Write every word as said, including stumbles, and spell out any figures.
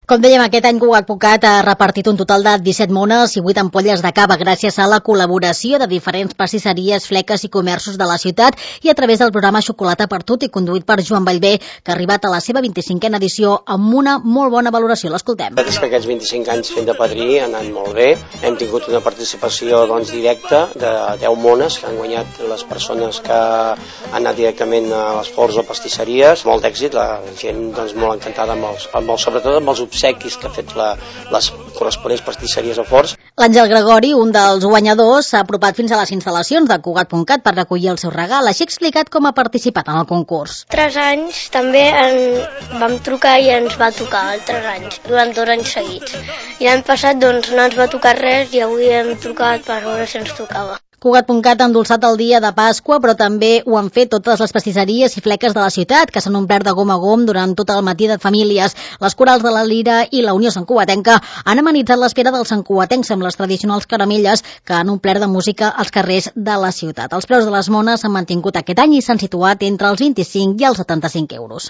Com dèiem, aquest any Cugat.cat ha repartit un total de disset mones i vuit ampolles de cava gràcies a la col·laboració de diferents pastisseries, fleques i comerços de la ciutat i a través del programa Xocolata per Tutti, conduït per Joan Bellver, que ha arribat a la seva vint-i-cinquena edició amb una molt bona valoració. L'escoltem. És que aquests vint-i-cinc anys fent de padrí han anat molt bé. Hem tingut una participació doncs, directa de deu mones que han guanyat les persones que han anat directament a les forns o pastisseries. Molt d'èxit, la gent doncs, molt encantada amb els, amb els, sobretot amb els obsequis que ha fet la, les corresponents pastisseries o forns. L'Àngel Gregori, un dels guanyadors, s'ha apropat fins a les instal·lacions de Cugat.cat per recollir el seu regal. Així ha explicat com ha participat en el concurs. Tres anys també en vam trucar i ens va tocar, altres anys, durant dos anys seguits. I l'any passat doncs, no ens va tocar res i avui hem trucat per veure si ens tocava. Cugat.cat ha endolçat el dia de Pasqua, però també ho han fet totes les pastisseries i fleques de la ciutat, que s'han omplert de gom a gom durant tot el matí de famílies. Les corals de la Lira i la Unió Santcugatenca han amenitzat l'espera dels santcugatencs amb les tradicionals caramelles que han omplert de música als carrers de la ciutat. Els preus de les mones s'han mantingut aquest any i s'han situat entre els vint-i-cinc i els setanta-cinc euros.